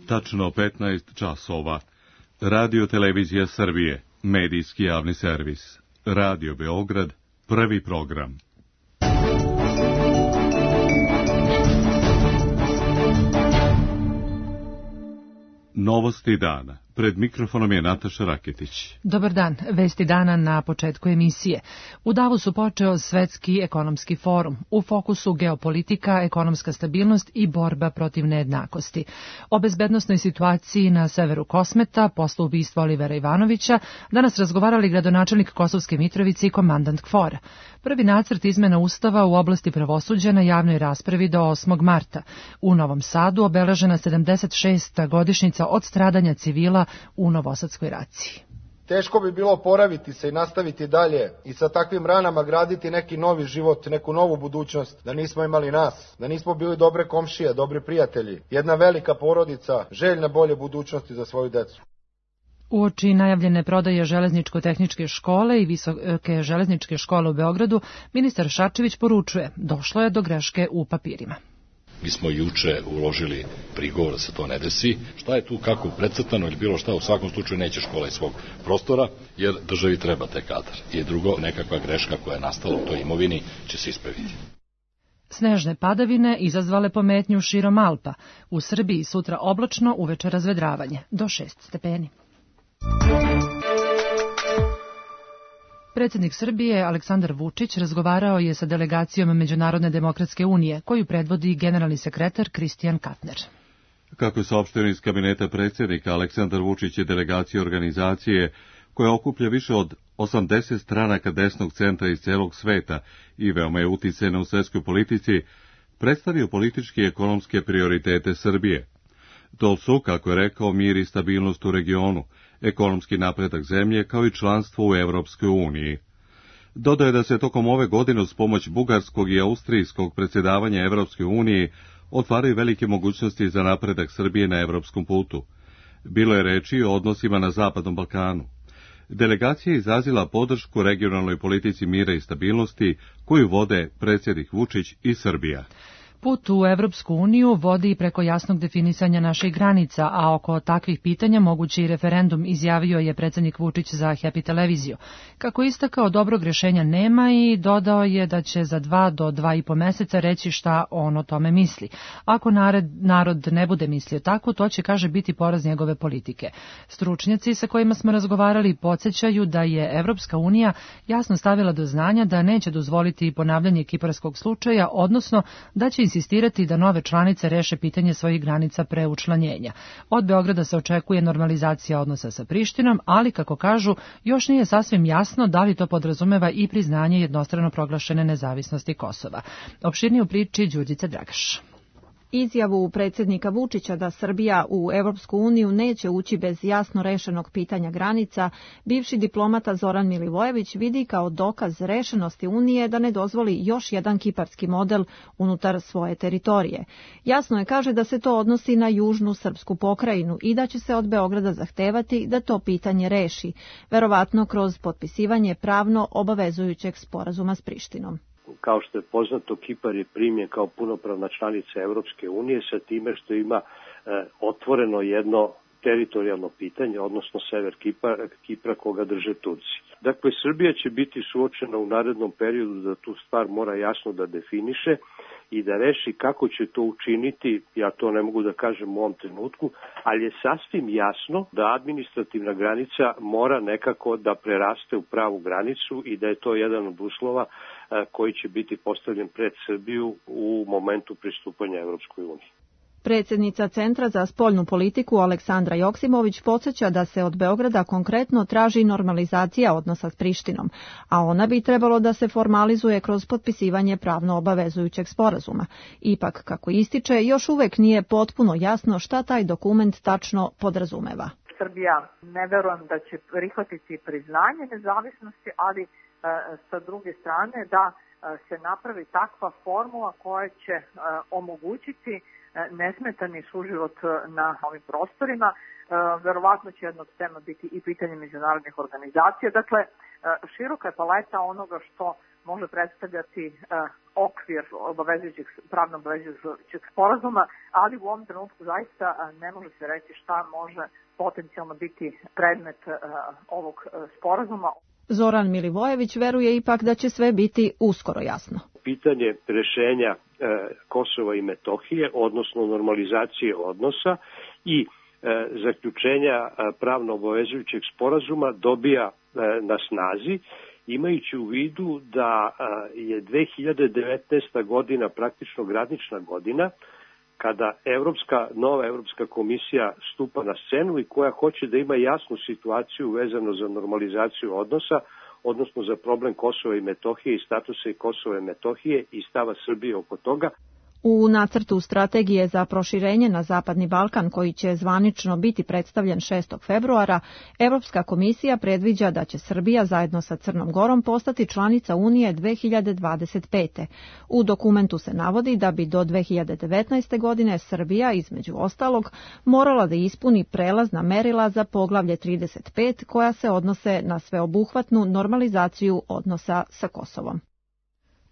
Tačno 15 časova. Radio Televizija Srbije, medijski javni servis. Radio Beograd, prvi program. Novosti dana. Pred mikrofonom je Nataša Raketić. Dobar dan. Vesti dana na početku emisije. U Davosu počeo Svetski ekonomski forum. U fokusu geopolitika, ekonomska stabilnost i borba protiv nejednakosti. O bezbednosnoj situaciji na severu Kosmeta, posle ubistva Olivera Ivanovića, danas razgovarali gradonačelnik Kosovske Mitrovice i komandant KFOR-a. Prvi nacrt izmena Ustava u oblasti pravosuđa na javnoj raspravi do 8. marta. U Novom Sadu obeležena 76. godišnjica od stradanja civila u Novosadskoj raciji. Teško bi bilo oporaviti se i nastaviti dalje i sa takvim ranama graditi neki novi život, neku novu budućnost, da nismo imali nas, da nismo bili dobre komšije, dobri prijatelji, jedna velika porodica, željna bolje budućnosti za svoju decu. Uoči najavljene prodaje železničko-tehničke škole i visoke železničke škole u Beogradu, ministar Šarčević poručuje, došlo je do greške u papirima. Mi smo juče uložili prigovor da se to ne desi. Šta je tu kako precrtano ili bilo šta, u svakom slučaju neće škola iz svog prostora, jer državi treba taj kadar. I drugo, nekakva greška koja je nastala u toj imovini će se ispraviti. Snežne padavine izazvale pometnju širom Alpa. U Srbiji sutra oblačno, uveče razvedravanje, do 6 stepeni. Predsjednik Srbije Aleksandar Vučić razgovarao je sa delegacijom Međunarodne demokratske unije, koju predvodi generalni sekretar Kristijan Katner. Kako je saopšteno iz kabineta predsjednika, Aleksandar Vučić je delegacija organizacije koja okuplja više od 80 stranaka desnog centra iz celog sveta i veoma je uticajna u svetskoj politici, predstavio politički i ekonomske prioritete Srbije. To su, kako je rekao, mir i stabilnost u regionu, ekonomski napredak zemlje kao i članstvo u Evropskoj uniji. Dodao je da se tokom ove godine uz pomoć bugarskog i austrijskog predsjedavanja Evropskoj uniji otvaraju velike mogućnosti za napredak Srbije na evropskom putu. Bilo je reči o odnosima na Zapadnom Balkanu. Delegacija je izrazila podršku regionalnoj politici mira i stabilnosti koju vode predsjednik Vučić i Srbija. Put u Evropsku uniju vodi preko jasnog definisanja naših granica, a oko takvih pitanja mogući i referendum, izjavio je predsjednik Vučić za Happy televiziju. Kako istakao, dobrog rješenja nema i dodao je da će za 2 do 2,5 meseca reći šta on o tome misli. Ako narod ne bude mislio tako, to će, kaže, biti poraz njegove politike. Stručnjaci sa kojima smo razgovarali podsjećaju da je Evropska unija jasno stavila do znanja da neće dozvoliti ponavljanje kiparskog slučaja, odnosno da će insistirati da nove članice reše pitanje svojih granica pre učlanjenja. Od Beograda se očekuje normalizacija odnosa sa Prištinom, ali, kako kažu, još nije sasvim jasno da li to podrazumeva i priznanje jednostrano proglašene nezavisnosti Kosova. Opširnije u priči Đurđica Dragaš. Izjavu predsjednika Vučića da Srbija u Evropsku uniju neće ući bez jasno rešenog pitanja granica, bivši diplomata Zoran Milivojević vidi kao dokaz rešenosti Unije da ne dozvoli još jedan kiparski model unutar svoje teritorije. Jasno je, kaže, da se to odnosi na južnu srpsku pokrajinu i da će se od Beograda zahtevati da to pitanje reši, verovatno kroz potpisivanje pravno obavezujućeg sporazuma s Prištinom. Kao što je poznato, Kipar je primljen kao punopravna članica Evropske unije sa time što ima otvoreno jedno teritorijalno pitanje, odnosno sever Kipra koga drže Turci. Dakle, Srbija će biti suočena u narednom periodu da tu stvar mora jasno da definiše i da reši kako će to učiniti, ja to ne mogu da kažem u ovom trenutku, ali je sasvim jasno da administrativna granica mora nekako da preraste u pravu granicu i da je to jedan od uslova koji će biti postavljen pred Srbiju u momentu pristupanja Evropskoj uniji. Predsjednica Centra za spoljnu politiku Aleksandra Joksimović podsjeća da se od Beograda konkretno traži normalizacija odnosa s Prištinom, a ona bi trebalo da se formalizuje kroz potpisivanje pravno obavezujućeg sporazuma. Ipak, kako ističe, još uvek nije potpuno jasno šta taj dokument tačno podrazumeva. Srbija ne verujem da će prihvatiti priznanje nezavisnosti, ali sa druge strane da se napravi takva formula koja će omogućiti nesmetani suživot na ovim prostorima. Verovatno će jedno od tema biti i pitanje međunarodnih organizacija. Dakle, široka je paleta onoga što može predstavljati okvir pravno obavezujućeg sporazuma, ali u ovom trenutku zaista ne može se reći šta može potencijalno biti predmet ovog sporazuma. Zoran Milivojević veruje ipak da će sve biti uskoro jasno. Pitanje rešenja Kosova i Metohije, odnosno normalizacije odnosa i zaključenja pravno obavezujućeg sporazuma dobija na snazi, imajući u vidu da je 2019. godina praktično granična godina, kada nova Evropska komisija stupa na scenu i koja hoće da ima jasnu situaciju vezano za normalizaciju odnosa, odnosno za problem Kosova i Metohije i statusa i Kosova i Metohije i stava Srbije oko toga. U nacrtu strategije za proširenje na Zapadni Balkan, koji će zvanično biti predstavljen 6. februara, Evropska komisija predviđa da će Srbija zajedno sa Crnom Gorom postati članica Unije 2025. U dokumentu se navodi da bi do 2019. godine Srbija, između ostalog, morala da ispuni prelazna merila za poglavlje 35, koja se odnose na sveobuhvatnu normalizaciju odnosa sa Kosovom.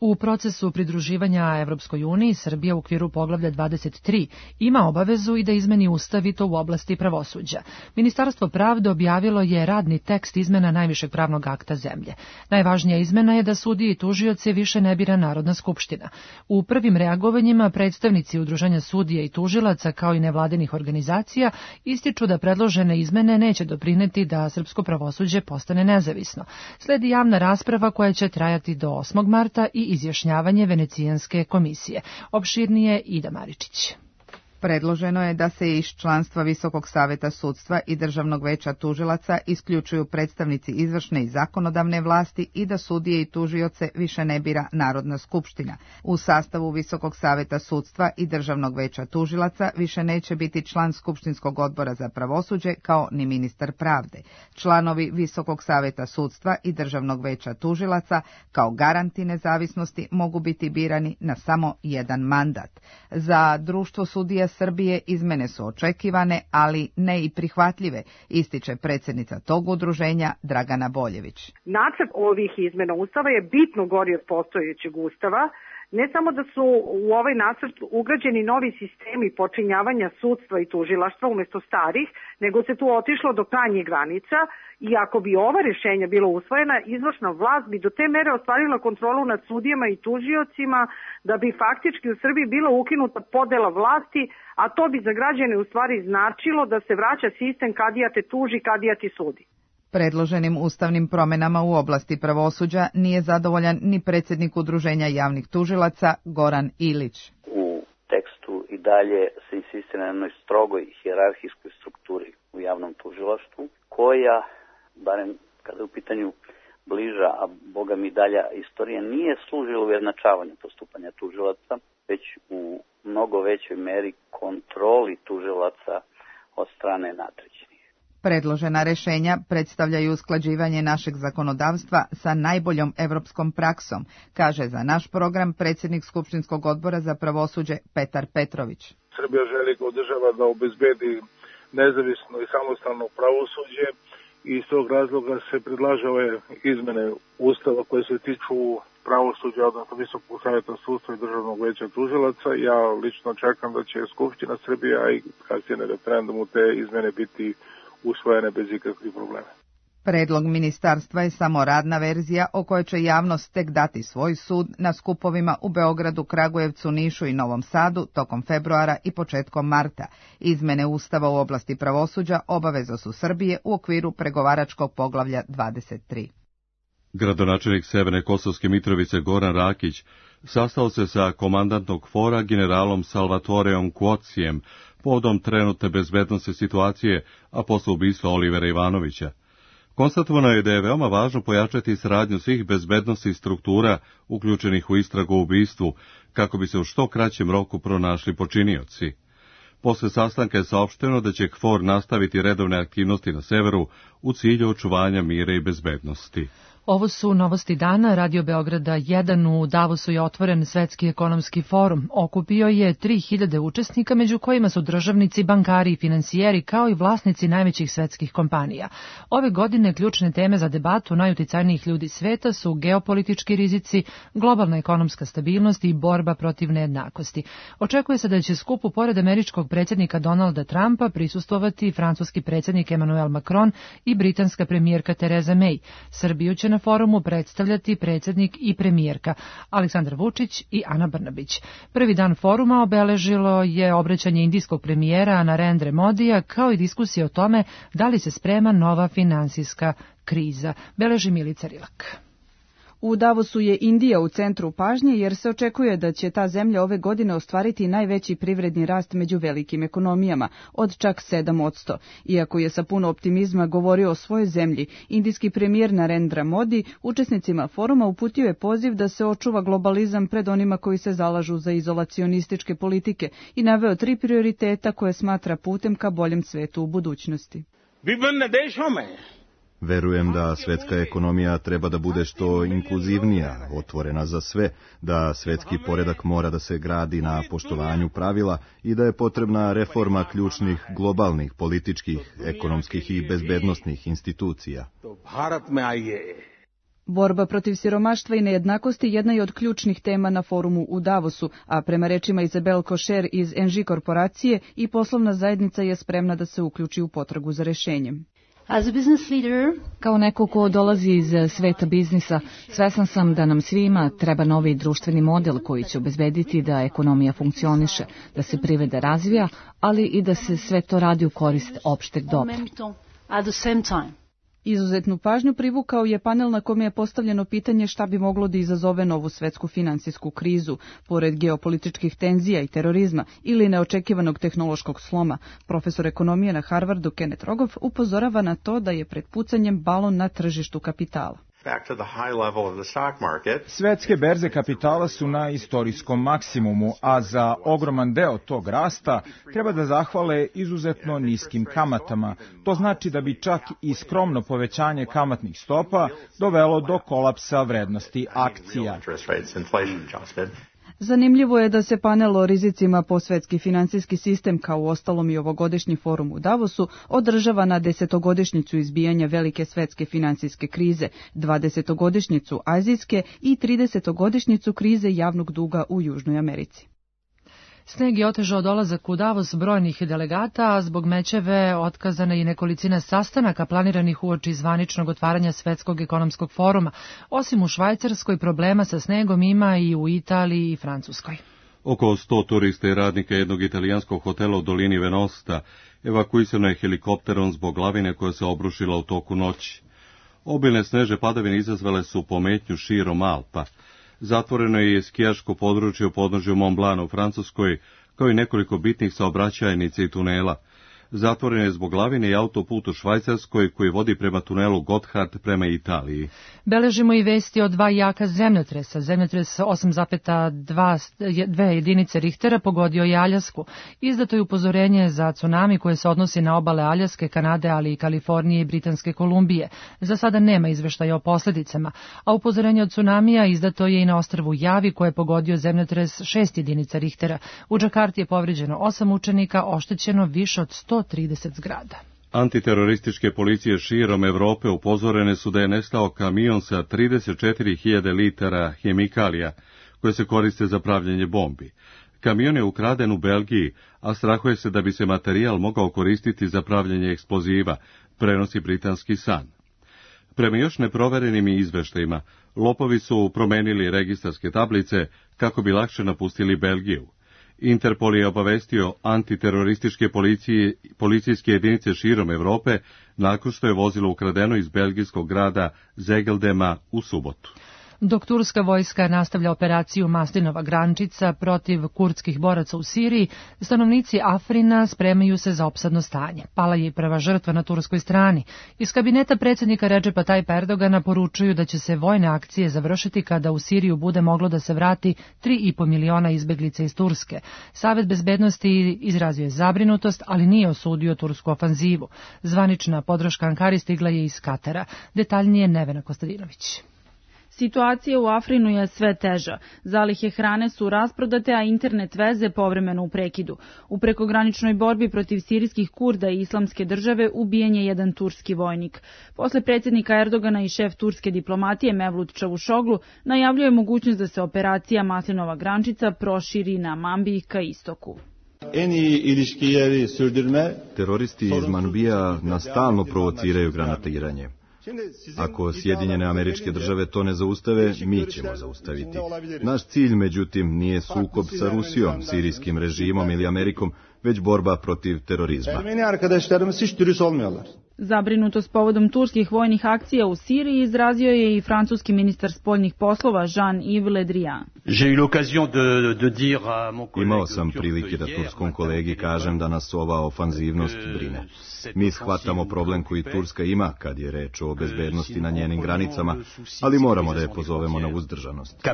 U procesu pridruživanja Evropskoj uniji Srbija u okviru poglavlja 23 ima obavezu i da izmeni ustav i to u oblasti pravosuđa. Ministarstvo pravde objavilo je radni tekst izmena najvišeg pravnog akta zemlje. Najvažnija izmena je da sudije i tužioce više ne bira Narodna skupština. U prvim reagovanjima predstavnici Udruženja sudija i tužilaca kao i nevladinih organizacija ističu da predložene izmene neće doprineti da srpsko pravosuđe postane nezavisno. Sledi javna rasprava koja će trajati do 8. marta i izjašnjavanje Venecijanske komisije. Opširnije Ida Maričić. Predloženo je da se iz članstva Visokog saveta sudstva i Državnog veća tužilaca isključuju predstavnici izvršne i zakonodavne vlasti i da sudije i tužioce više ne bira Narodna skupština. U sastavu Visokog saveta sudstva i Državnog veća tužilaca više neće biti član Skupštinskog odbora za pravosuđe kao ni ministar pravde. Članovi Visokog saveta sudstva i Državnog veća tužilaca kao garanti nezavisnosti mogu biti birani na samo jedan mandat. Za društvo sudija Srbije izmene su očekivane, ali ne i prihvatljive, ističe predsjednica tog udruženja Dragana Boljević. Nacrt ovih izmena Ustava je bitno gori od postojećeg Ustava. Ne samo da su u ovaj nacrt ugrađeni novi sistemi počinjavanja sudstva i tužilaštva umjesto starih, nego se tu otišlo do krajnjih granica i ako bi ova rješenja bila usvojena, izvršna vlast bi do te mere ostvarila kontrolu nad sudijama i tužiocima da bi faktički u Srbiji bila ukinuta podela vlasti, a to bi za građane u stvari značilo da se vraća sistem kadija te tuži, kadija ti sudi. Predloženim ustavnim promjenama u oblasti pravosuđa nije zadovoljan ni predsjednik Udruženja javnih tužilaca Goran Ilić. U tekstu i dalje se insistira na jednoj strogoj hijerarhijskoj strukturi u javnom tužilaštvu, koja, barem kada je u pitanju bliža, a boga mi dalja istorija, nije služila ujednačavanju postupanja tužilaca, već u mnogo većoj meri kontroli tužilaca od strane nadređenih. Predložena rješenja predstavljaju usklađivanje našeg zakonodavstva sa najboljom evropskom praksom, kaže za naš program predsjednik Skupštinskog odbora za pravosuđe Petar Petrović. Srbija želi kao država da obezbedi nezavisno i samostalno pravosuđe i iz tog razloga se predlaže ove izmene Ustava koje se tiču pravosuđa, odnosno Visokog saveta sudstva i Državnog veća tužilaca. Ja lično čekam da će Skupština Srbija i kasnije na referendumu te izmene biti usvojene bez ikakvih problema. Predlog ministarstva je samo radna verzija o kojoj će javnost tek dati svoj sud na skupovima u Beogradu, Kragujevcu, Nišu i Novom Sadu tokom februara i početkom marta. Izmene Ustava u oblasti pravosuđa obaveza su Srbije u okviru pregovaračkog poglavlja 23. Gradonačelnik Severne Kosovske Mitrovice Goran Rakić sastao se sa komandantnog fora generalom Salvatoreom Kuocijem povodom trenutne bezbednosne situacije, a posle ubistva Olivera Ivanovića. Konstatovano je da je veoma važno pojačati saradnju svih bezbednosnih struktura uključenih u istragu o ubistvu, kako bi se u što kraćem roku pronašli počinioci. Posle sastanka je saopšteno da će KFOR nastaviti redovne aktivnosti na severu u cilju očuvanja mira i bezbednosti. Ovo su novosti dana. Radio Beograda 1 u Davosu je otvoren Svetski ekonomski forum. Okupio je 3000 učesnika, među kojima su državnici, bankari i finansijeri, kao i vlasnici najvećih svetskih kompanija. Ove godine ključne teme za debatu najuticajnijih ljudi sveta su geopolitički rizici, globalna ekonomska stabilnost i borba protiv nejednakosti. Očekuje se da će skupu pored američkog predsjednika Donalda Trumpa prisustvovati francuski predsjednik Emmanuel Macron i britanska premijerka Theresa May. Srbiju će na forumu predstavljati predsjednik i premijerka Aleksandar Vučić i Ana Brnabić. Prvi dan foruma obeležilo je obraćanje indijskog premijera Narendra Modija, kao i diskusije o tome da li se sprema nova finansijska kriza. Beleži Milica Rilak. U Davosu je Indija u centru pažnje jer se očekuje da će ta zemlja ove godine ostvariti najveći privredni rast među velikim ekonomijama, od čak 7%. Iako je sa puno optimizma govorio o svojoj zemlji, indijski premijer Narendra Modi učesnicima foruma uputio je poziv da se očuva globalizam pred onima koji se zalažu za izolacionističke politike i naveo 3 prioriteta koje smatra putem ka boljem svetu u budućnosti. Verujem da svetska ekonomija treba da bude što inkluzivnija, otvorena za sve, da svetski poredak mora da se gradi na poštovanju pravila i da je potrebna reforma ključnih globalnih, političkih, ekonomskih i bezbednosnih institucija. Borba protiv siromaštva i nejednakosti jedna je od ključnih tema na forumu u Davosu, a prema rečima Izabel Košer iz NG korporacije i poslovna zajednica je spremna da se uključi u potragu za rešenjem. Kao neko ko dolazi iz sveta biznisa, svesna sam da nam svima treba novi društveni model koji će obezbediti da ekonomija funkcioniše, da se privreda razvija, ali i da se sve to radi u korist opšteg dobra. Izuzetnu pažnju privukao je panel na kome je postavljeno pitanje šta bi moglo da izazove novu svetsku finansijsku krizu, pored geopolitičkih tenzija i terorizma ili neočekivanog tehnološkog sloma. Profesor ekonomije na Harvardu Kenneth Rogoff upozorava na to da je pred pucanjem balon na tržištu kapitala. Svetske berze kapitala su na istorijskom maksimumu, a za ogroman deo tog rasta treba da zahvale izuzetno niskim kamatama. To znači da bi čak i skromno povećanje kamatnih stopa dovelo do kolapsa vrednosti akcija. Zanimljivo je da se panel o rizicima po svetski finansijski sistem, kao u ostalom i ovogodišnji forum u Davosu, održava na 10-godišnjicu izbijanja velike svetske finansijske krize, 20-godišnjicu azijske i 30-godišnjicu krize javnog duga u Južnoj Americi. Sneg je otežao dolazak u Davos brojnih delegata, a zbog mećeve otkazana i nekolicina sastanaka planiranih uoči zvaničnog otvaranja Svetskog ekonomskog foruma. Osim u Švajcarskoj, problema sa snegom ima i u Italiji i Francuskoj. Oko 100 turista i radnika jednog italijanskog hotela u dolini Venosta evakuisano je helikopterom zbog lavine koja se obrušila u toku noći. Obilne snežne padavine izazvale su pometnju širom Alpa. Zatvoreno je i skijaško područje u podnožju Mont Blanc u Francuskoj, kao i nekoliko bitnih saobraćajnica i tunela. Zatvoren je zbog lavine i autoput u Švajcarskoj koji vodi prema tunelu Gotthard prema Italiji. Beležimo i vesti o 2 jaka zemljotresa. Zemljotres 8,2 jedinice Richtera pogodio je Aljasku. Izdato je upozorenje za tsunami koje se odnosi na obale Aljaske, Kanade, ali i Kalifornije i Britanske Kolumbije. Za sada nema izveštaja o posljedicama, a upozorenje od tsunamija izdato je i na ostrvu Javi koje je pogodio zemljotres 6 jedinica Richtera. U Džakarti je povređeno 8 učenika, oštećeno više od 130 zgrada. Antiterorističke policije širom Evrope upozorene su da je nestao kamion sa 34.000 litara hemikalija koje se koriste za pravljenje bombi. Kamion je ukraden u Belgiji, a strahuje se da bi se materijal mogao koristiti za pravljenje eksploziva, prenosi britanski Sun. Prema još neproverenim izveštajima, lopovi su promenili registarske tablice kako bi lakše napustili Belgiju. Interpol je obavestio antiterorističke policijske jedinice širom Evrope nakon što je vozilo ukradeno iz belgijskog grada Zegeldema u subotu. Dok turska vojska nastavlja operaciju Maslinova grančica protiv kurdskih boraca u Siriji, stanovnici Afrina spremaju se za opsadno stanje. Pala je i prva žrtva na turskoj strani. Iz kabineta predsjednika Redžepa Tajpa Erdogana poručuju da će se vojne akcije završiti kada u Siriju bude moglo da se vrati 3,5 miliona izbeglica iz Turske. Savet bezbednosti izrazio je zabrinutost, ali nije osudio tursku ofanzivu. Zvanična podrška Ankari stigla je iz Katara. Detaljnije Nevena Kostadinović. Situacija u Afrinu je sve teža. Zalihe hrane su rasprodate, a internet veze povremeno u prekidu. U prekograničnoj borbi protiv sirijskih Kurda i Islamske države ubijen je jedan turski vojnik. Posle predsjednika Erdogana i šef turske diplomatije Mevlut Čavuşoglu najavljuje mogućnost da se operacija Maslinova grančica proširi na Manbij ka istoku. Teroristi iz Manbija nastalno provociraju granatiranje. Ako Sjedinjene Američke Države to ne zaustave, mi ćemo zaustaviti. Naš cilj, međutim, nije sukob sa Rusijom, sirijskim režimom ili Amerikom, već borba protiv terorizma. Zabrinutost povodom turskih vojnih akcija u Siriji izrazio je i francuski ministar spoljnih poslova Jean-Yves Le Drian. Imao sam prilike da turskom kolegi kažem da nas ova ofanzivnost brine. Mi shvatamo problem koji Turska ima kad je reč o bezbednosti na njenim granicama, ali moramo da je pozovemo na uzdržanost.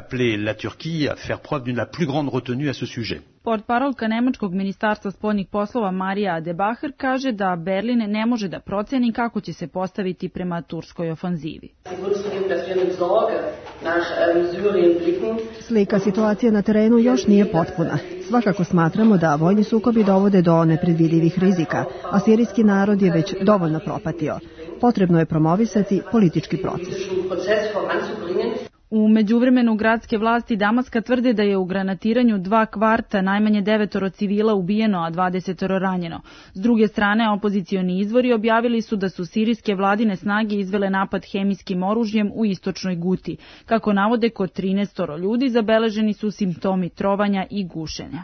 Portparolka nemačkog ministarstva spoljnih poslova Marija De Bacher kaže da Berlin ne može da proceni kako će se postaviti prema turskoj ofanzivi. Slika situacije na terenu još nije potpuna. Svakako smatramo da vojni sukobi dovode do nepredvidivih rizika, a sirijski narod je već dovoljno propatio. Potrebno je promovisati politički proces. U međuvremenu gradske vlasti Damaska tvrde da je u granatiranju 2 kvarta najmanje 9 civila ubijeno, a 20 ranjeno. S druge strane, opozicioni izvori objavili su da su sirijske vladine snage izvele napad hemijskim oružjem u istočnoj Guti. Kako navode, kod 13 ljudi zabeleženi su simptomi trovanja i gušenja.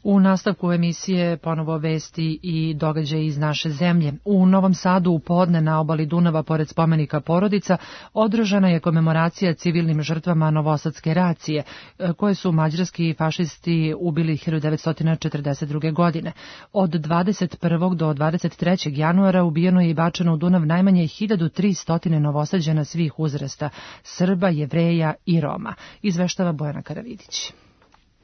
U nastavku emisije ponovo vesti i događaji iz naše zemlje. U Novom Sadu u podne na obali Dunava pored spomenika Porodica održana je komemoracija civilnim žrtvama Novosadske racije, koje su mađarski fašisti ubili 1942. godine. Od 21. do 23. januara ubijeno je i bačeno u Dunav najmanje 1300 Novosađana svih uzrasta, Srba, Jevreja i Roma, izveštava Bojana Karavidić.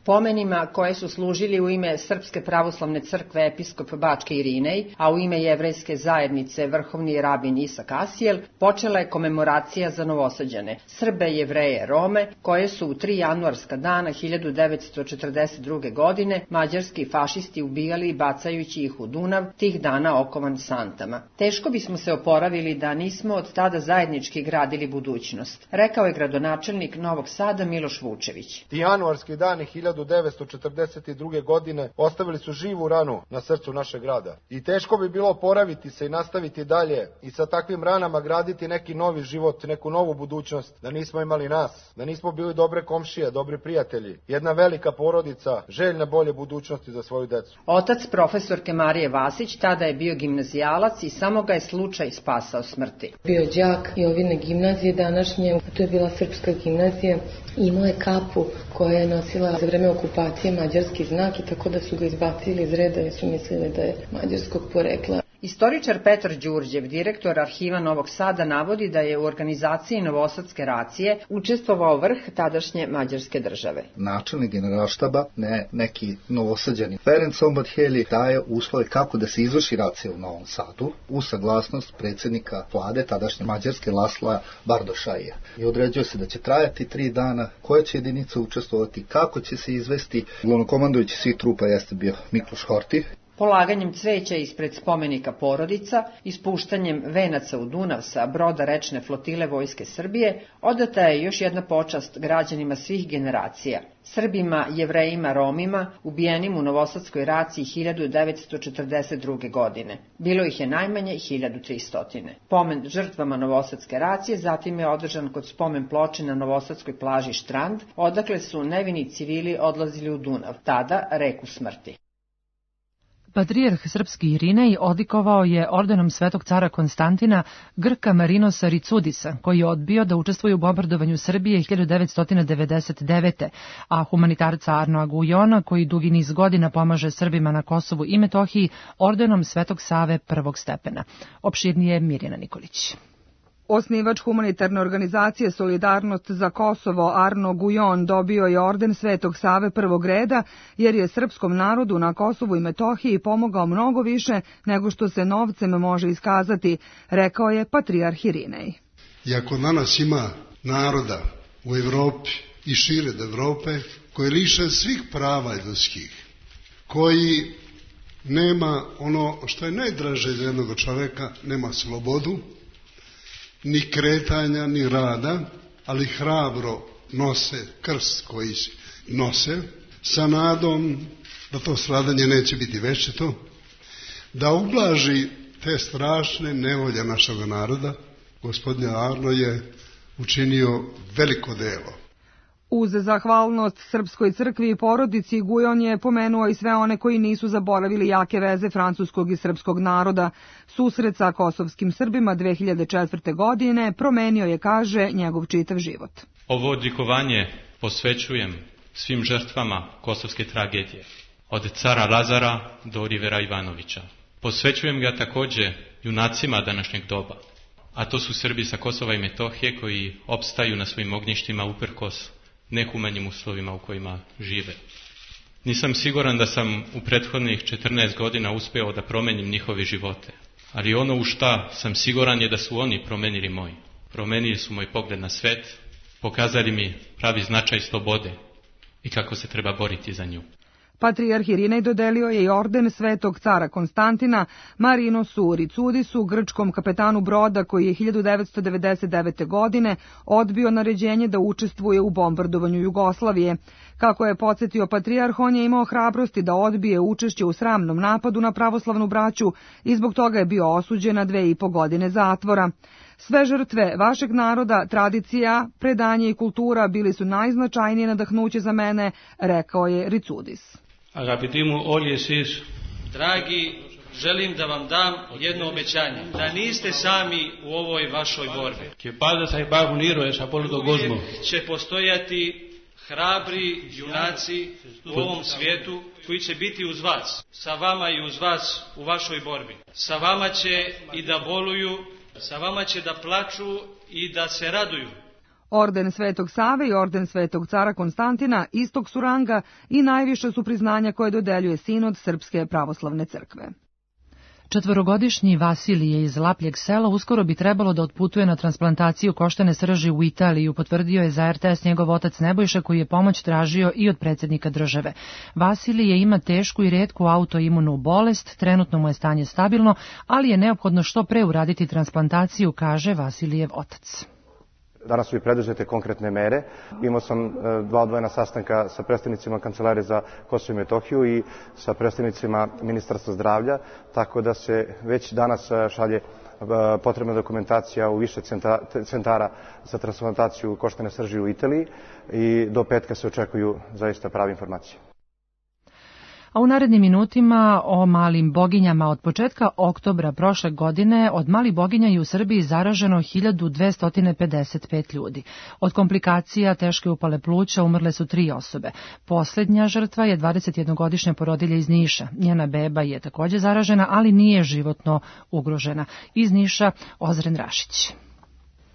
Pomenima koje su služili u ime Srpske pravoslavne crkve episkop Bačke Irinej, a u ime jevrejske zajednice vrhovni rabin Isak Asijel, počela je komemoracija za Novosađane, Srbe, Jevreje, Rome, koje su u 3 januarska dana 1942. godine mađarski fašisti ubijali bacajući ih u Dunav, tih dana okovan santama. Teško bismo se oporavili da nismo od tada zajednički gradili budućnost, rekao je gradonačelnik Novog Sada Miloš Vučević. Ti januarski dani 1942. godine ostavili su živu ranu na srcu našeg grada. I teško bi bilo oporaviti se i nastaviti dalje i sa takvim ranama graditi neki novi život, neku novu budućnost, da nismo imali nas, da nismo bili dobre komšije, dobri prijatelji, jedna velika porodica, željna bolje budućnosti za svoju decu. Otac profesorke Marije Vasić tada je bio gimnazijalac i samo ga je slučaj spasao smrti. Bio đak i ovine gimnazije današnje, to je bila srpska gimnazija, imao je kapu koja je nosila za vreme okupacije mađarski znak i tako da su ga izbacili iz reda jer su mislili da je mađarskog porekla. Istoričar Petar Đurđev, direktor Arhiva Novog Sada, navodi da je u organizaciji Novosadske racije učestvovao vrh tadašnje mađarske države. Načelnik generalštaba, neki Novosađani, Ferenc Ombadheli, daje uslove kako da se izvrši racija u Novom Sadu u saglasnost predsjednika vlade tadašnje mađarske Lasla Bardošaija. I određuje se da će trajati 3 dana, koja će jedinica učestvovati, kako će se izvesti. Glavnokomandujući svih trupa jeste bio Mikloš Horthy. Polaganjem cveća ispred spomenika Porodica, ispuštanjem venaca u Dunav sa broda rečne flotile Vojske Srbije, odata je još jedna počast građanima svih generacija. Srbima, Jevrejima, Romima, ubijenim u Novosadskoj raciji 1942. godine. Bilo ih je najmanje 1300. Pomen žrtvama Novosadske racije zatim je održan kod spomen ploče na Novosadskoj plaži Štrand, odakle su nevini civili odlazili u Dunav, tada reku smrti. Patrijarh srpski Irinej odlikovao je ordenom Svetog cara Konstantina Grka Marinosa Ricudisa, koji je odbio da učestvuje u bombardovanju Srbije 1999. a humanitarca Arnoa Gujona, koji dugi niz godina pomaže Srbima na Kosovu i Metohiji, ordenom Svetog Save prvog stepena. Opširnije Mirjana Nikolić. Osnivač humanitarne organizacije Solidarnost za Kosovo Arno Gujon dobio je orden Svetog Save prvog reda jer je srpskom narodu na Kosovu i Metohiji pomogao mnogo više nego što se novcem može iskazati, rekao je patrijarh Irinej. Iako danas ima naroda u Evropi i šire od Evrope koji liše svih prava ljudskih, koji nema ono što je najdraže za jednog čoveka, nema slobodu, ni kretanja, ni rada, ali hrabro nose krst koji nose, sa nadom da to stradanje neće biti večito, da ublaži te strašne nevolje našeg naroda. Gospodin Arno je učinio veliko delo. Uz zahvalnost Srpskoj crkvi i porodici, Gujon je pomenuo i sve one koji nisu zaboravili jake veze francuskog i srpskog naroda. Susret sa kosovskim Srbima 2004. godine promenio je, kaže, njegov čitav život. Ovo odlikovanje posvećujem svim žrtvama kosovske tragedije, od cara Lazara do Olivera Ivanovića. Posvećujem ga takođe junacima današnjeg doba, a to su Srbi sa Kosova i Metohije koji opstaju na svojim ognjištima uprkos nehumanim uslovima u kojima žive. Nisam siguran da sam u prethodnih 14 godina uspeo da promenim njihove živote, ali ono u šta sam siguran je da su oni promenili moj. Promenili su moj pogled na svet, pokazali mi pravi značaj slobode i kako se treba boriti za nju. Patrijarh Irinej dodelio je i orden Svetog cara Konstantina Marinosu Ricudisu, grčkom kapetanu broda koji je 1999. godine odbio naređenje da učestvuje u bombardovanju Jugoslavije. Kako je podsjetio patrijarh, on je imao hrabrosti da odbije učešće u sramnom napadu na pravoslavnu braću i zbog toga je bio osuđen na 2,5 godine zatvora. Sve žrtve vašeg naroda, tradicija, predanje i kultura bili su najznačajnije nadahnuće za mene, rekao je Ricudis. Želim da vam dam jedno obećanje, da niste sami u ovoj vašoj borbi. Uvijek će postojati hrabri junaci u ovom svijetu koji će biti uz vas, sa vama i uz vas u vašoj borbi. Sa vama će i da boluju, sa vama će da plaču i da se raduju. Orden Svetog Save i orden Svetog cara Konstantina istog su ranga i najviše su priznanja koje dodeljuje Sinod Srpske pravoslavne crkve. 4-godišnji Vasilije iz Lapljeg sela uskoro bi trebalo da otputuje na transplantaciju koštane srži u Italiju, potvrdio je za RTS njegov otac Nebojša, koji je pomoć tražio i od predsjednika države. Vasilije ima tešku i retku autoimunu bolest, trenutno mu je stanje stabilno, ali je neophodno što pre uraditi transplantaciju, kaže Vasilijev otac. Danas su i preduzete konkretne mere. Imao sam 2 odvojena sastanka sa predstavnicima Kancelarije za Kosovo i Metohiju i sa predstavnicima Ministarstva zdravlja, tako da se već danas šalje potrebna dokumentacija u više centara za transplantaciju koštane srži u Italiji i do petka se očekuju zaista prave informacije. A u narednim minutima o malim boginjama. Od početka oktobra prošle godine od malih boginja je u Srbiji zaraženo 1255 ljudi. Od komplikacija teške upale pluća umrle su 3 osobe. Posljednja žrtva je 21-godišnja porodilja iz Niša. Njena beba je također zaražena, ali nije životno ugrožena. Iz Niša Ozren Rašić.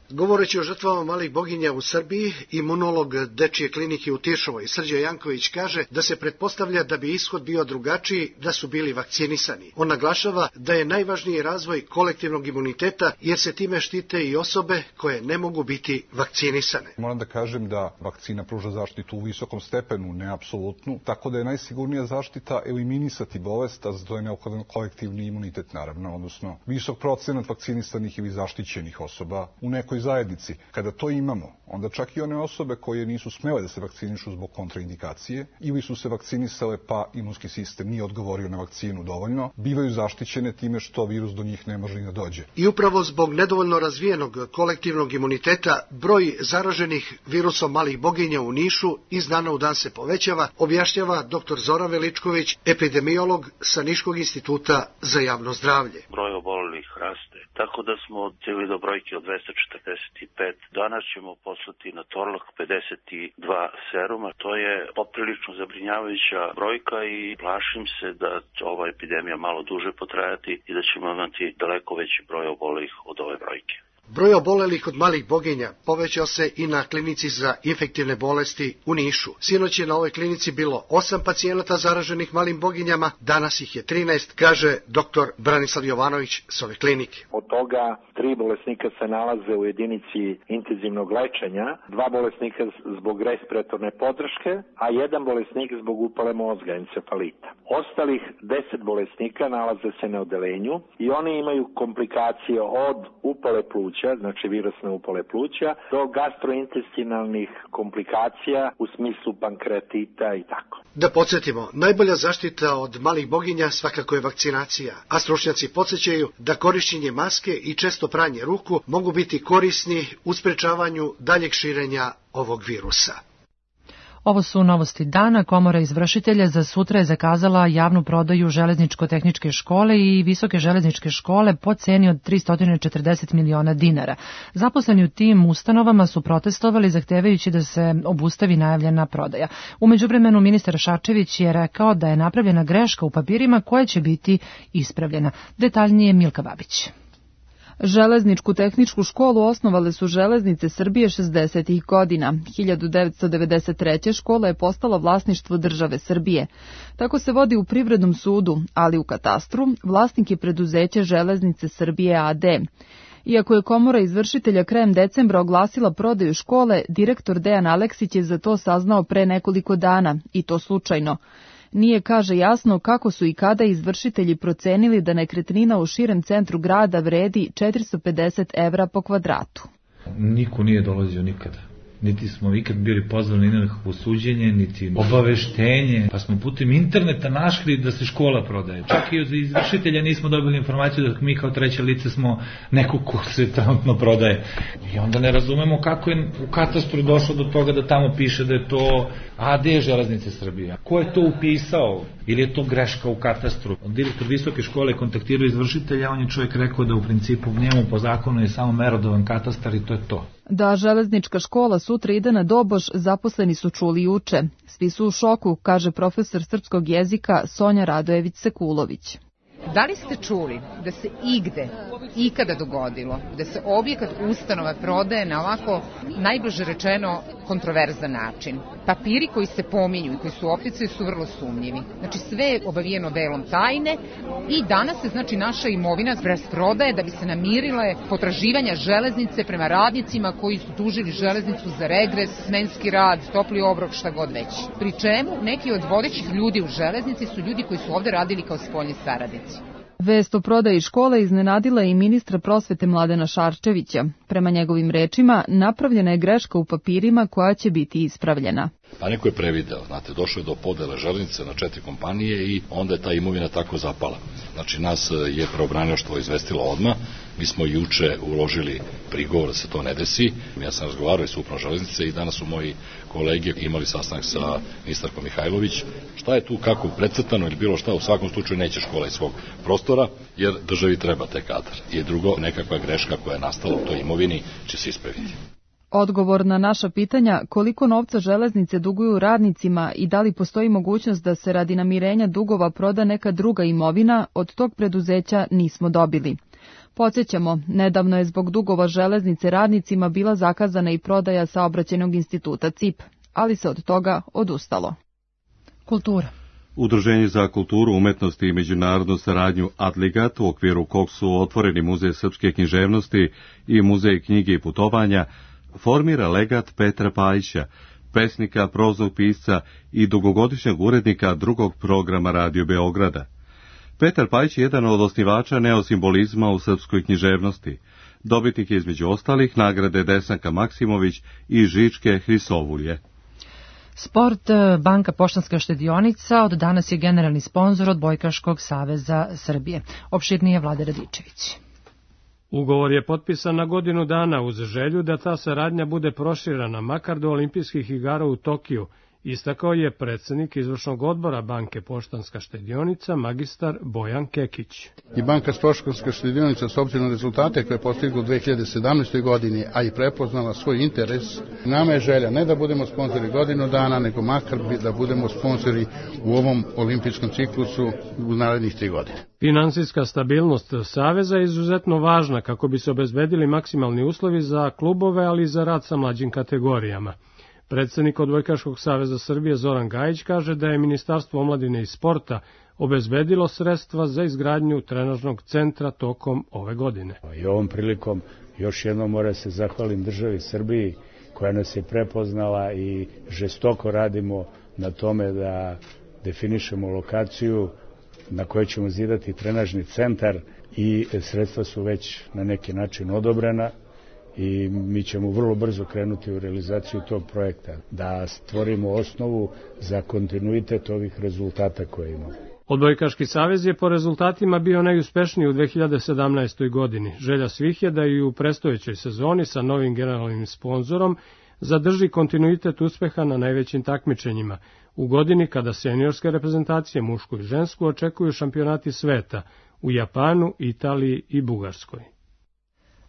Govoreći o žrtvama malih boginja u Srbiji, imunolog Dečije klinike u Tiršovoj Srđan Janković kaže da se pretpostavlja da bi ishod bio drugačiji da su bili vakcinisani. On naglašava da je najvažniji razvoj kolektivnog imuniteta jer se time štite i osobe koje ne mogu biti vakcinisane. Moram da kažem da vakcina pruža zaštitu u visokom stepenu, ne apsolutnu, tako da je najsigurnija zaštita eliminisati bolest, a za to je neophodan kolektivni imunitet naravno, odnosno visok procenat vakcinisanih ili zaštićenih osoba u nekoj akademskoj zajednici. Kada to imamo, onda čak i one osobe koje nisu smele da se vakcinišu zbog kontraindikacije ili su se vakcinisale pa imunski sistem nije odgovorio na vakcinu dovoljno, bivaju zaštićene time što virus do njih ne može ni da dođe. I upravo zbog nedovoljno razvijenog kolektivnog imuniteta, broj zaraženih virusom malih boginja u Nišu iz dana u dan se povećava, objašnjava dr. Zoran Veličković, epidemiolog sa Niškog instituta za javno zdravlje. Broj obolelih raste, tako da smo stigli do brojke od 245. Danas ćemo poslati na Torlak 52 seruma. To je poprilično zabrinjavajuća brojka i plašim se da će ova epidemija malo duže potrajati i da ćemo imati daleko veći broj obolelih od ove brojke. Broj obolelih od malih boginja povećao se i na klinici za infektivne bolesti u Nišu. Sinoć je na ovoj klinici bilo 8 pacijenata zaraženih malim boginjama, danas ih je 13, kaže dr. Branislav Jovanović s ove klinike. Od toga 3 bolesnika se nalaze u jedinici intenzivnog lečenja, 2 bolesnika zbog respiratorne podrške, a 1 bolesnik zbog upale mozga, encefalita. Ostalih 10 bolesnika nalaze se na odelenju i oni imaju komplikacije od upale pluća, znači virusne upale pluća, do gastrointestinalnih komplikacija u smislu pankreatita i tako. Da podsjetimo, najbolja zaštita od malih boginja svakako je vakcinacija, a stručnjaci podsjećaju da korišćenje maske i često pranje ruku mogu biti korisni u sprečavanju daljeg širenja ovog virusa. Ovo su novosti dana. Komora izvršitelja za sutra je zakazala javnu prodaju železničko-tehničke škole i visoke železničke škole po ceni od 340 miliona dinara. Zaposleni u tim ustanovama su protestovali zahtevajući da se obustavi najavljena prodaja. U međuvremenu ministar Šarčević je rekao da je napravljena greška u papirima koja će biti ispravljena. Detaljnije Milka Babić. Železničku tehničku školu osnovale su Železnice Srbije 60. godina. 1993. škola je postala vlasništvo države Srbije. Tako se vodi u Privrednom sudu, ali u katastru vlasnik je preduzeće Železnice Srbije AD. Iako je komora izvršitelja krajem decembra oglasila prodaju škole, direktor Dejan Aleksić je za to saznao pre nekoliko dana, i to slučajno. Nije, kaže, jasno kako su i kada izvršitelji procenili da nekretnina u širem centru grada vredi 450 evra po kvadratu. Niko nije dolazio nikada. Niti smo ikad bili pozvani na nekakvo suđenje, niti obaveštenje, pa smo putem interneta našli da se škola prodaje. Čak i od izvršitelja nismo dobili informaciju da mi kao treće lice smo neko ko se trenutno prodaje. I onda ne razumemo kako je u katastru došlo do toga da tamo piše da je to AD Železnice Srbije. Ko je to upisao? Ili je to greška u katastru? Direktor visoke škole kontaktirao izvršitelja, on je čovjek rekao da u principu njemu po zakonu je samo merodavan katastar i to je to. Da železnička škola sutra ide na doboš, zaposleni su čuli juče. Svi su u šoku, kaže profesor srpskog jezika Sonja Radojević-Sekulović. Da li ste čuli da se igde, ikada dogodilo, da se objekat ustanova prodaje na ovako, najbliže rečeno, kontroverzan način? Papiri koji se pominju i koji su opticaju su vrlo sumnjivi. Znači sve je obavijeno velom tajne i danas se znači naša imovina rasprodaje da bi se namirile potraživanja železnice prema radnicima koji su tužili železnicu za regres, smenski rad, topli obrok, šta god već. Pri čemu neki od vodećih ljudi u železnici su ljudi koji su ovde radili kao spoljni saradnici. Vest o prodaji škole iznenadila i ministra prosvete Mladena Šarčevića. Prema njegovim rečima, napravljena je greška u papirima koja će biti ispravljena. Pa neko je prevideo, znate, došlo je do podele železnice na 4 kompanije i onda je ta imovina tako zapala. Znači, nas je pravobranilaštvo izvestilo odmah, mi smo juče uložili prigovor da se to ne desi. Ja sam razgovarao i sa upravom železnice i danas su moji kolege imali sastanak sa ministarkom Mihajlović. Šta je tu, kako precrtano ili bilo šta, u svakom slučaju neće škola iz svog prostora, jer državi treba taj kadar. I drugo, nekakva greška koja je nastala u toj imovini će se ispraviti. Odgovor na naša pitanja koliko novca železnice duguju radnicima i da li postoji mogućnost da se radi namirenja dugova proda neka druga imovina, od tog preduzeća nismo dobili. Podsjećamo, nedavno je zbog dugova železnice radnicima bila zakazana i prodaja Saobraćajnog instituta CIP, ali se od toga odustalo. Kultura. Udruženje za kulturu, umetnost i međunarodnu saradnju Adligat, u okviru kog su otvoreni Muzej srpske književnosti i Muzej knjige i putovanja, formira legat Petra Pajića, pesnika, prozog pisca i dugogodišnjeg urednika drugog programa Radio Beograda. Petar Pajić je jedan od osnivača neosimbolizma u srpskoj književnosti. Dobitnik je između ostalih nagrade Desanka Maksimović i Žičke Hrisovulje. Sport Banka Poštanska štedionica od danas je generalni sponzor Odbojkaškog saveza Srbije. Opširnije Vlade Radičević. Ugovor je potpisan na godinu dana uz želju da ta saradnja bude proširana makar do olimpijskih igara u Tokiju, istakao je predsjednik izvršnog odbora Banke Poštanska štedionica magistar Bojan Kekić. I Banka Poštanska štedionica s obzirom na rezultate koje je postigla u 2017. godini, a i prepoznala svoj interes, nama je želja ne da budemo sponzori godinu dana, nego makar da budemo sponzori u ovom olimpijskom ciklusu u narednih 3 godine. Finansijska stabilnost Saveza je izuzetno važna kako bi se obezbedili maksimalni uslovi za klubove, ali i za rad sa mlađim kategorijama. Predsjednik Odbojkaškog saveza Srbije Zoran Gajić kaže da je Ministarstvo omladine i sporta obezbedilo sredstva za izgradnju trenažnog centra tokom ove godine. I ovom prilikom još jednom mora se zahvalim državi Srbiji koja nas je prepoznala i žestoko radimo na tome da definišemo lokaciju na kojoj ćemo zidati trenažni centar i sredstva su već na neki način odobrena. I mi ćemo vrlo brzo krenuti u realizaciju tog projekta, da stvorimo osnovu za kontinuitet ovih rezultata koje imamo. Odbojkaški savez je po rezultatima bio najuspešniji u 2017. godini. Želja svih je da i u predstojećoj sezoni sa novim generalnim sponzorom zadrži kontinuitet uspeha na najvećim takmičenjima, u godini kada seniorske reprezentacije mušku i žensku očekuju šampionati sveta u Japanu, Italiji i Bugarskoj.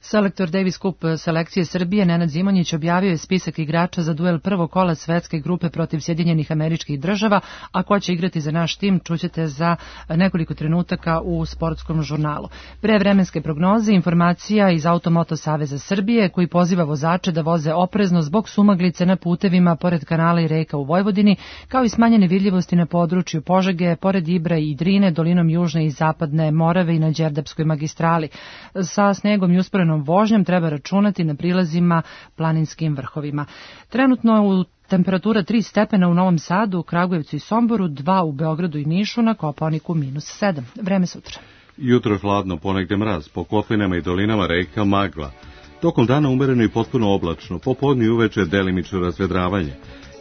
Selektor Davis Cup selekcije Srbije Nenad Zimonjić objavio je spisak igrača za duel prvog kola svetske grupe protiv Sjedinjenih Američkih Država, a ko će igrati za naš tim čućete za nekoliko trenutaka u sportskom žurnalu. Pre vremenske prognoze informacija iz Automoto Saveza Srbije koji poziva vozače da voze oprezno zbog sumaglice na putevima pored kanala i reka u Vojvodini, kao i smanjene vidljivosti na području Požege, pored Ibra i Drine, dolinom južne i zapadne Morave i na Đerdapskoj magistrali. Sa snegom i usporenom vožnjom treba računati na prilazima planinskim vrhovima. Trenutno u temperatura 3 stepena u Novom Sadu, Kragujevcu i Somboru, 2 u Beogradu i Nišu, na Kopaoniku -7. Vreme sutra. Jutro je hladno, ponegde mraz, po kotlinama i dolinama reka magla. Tokom dana umereno i potpuno oblačno, popodne i uveče delimično razvedravanje.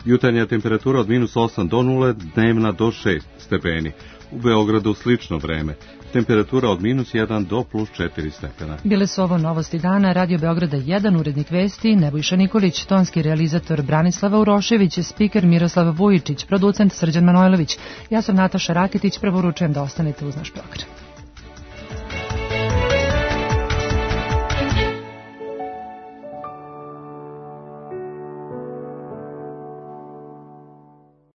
Jutarnja temperatura od -8 do 0, dnevna do 6 stepeni. U Beogradu slično vreme. Temperatura od -1 do +4 stepena. Bile su ovo novosti dana. Radio Beograda 1, urednik vesti Nebojša Nikolić, tonski realizator Branislava Urošević, spiker Miroslav Vujičić, producent Srđan Manojlović. Ja sam Nataša Raketić, preporučujem da ostanete uz naš program.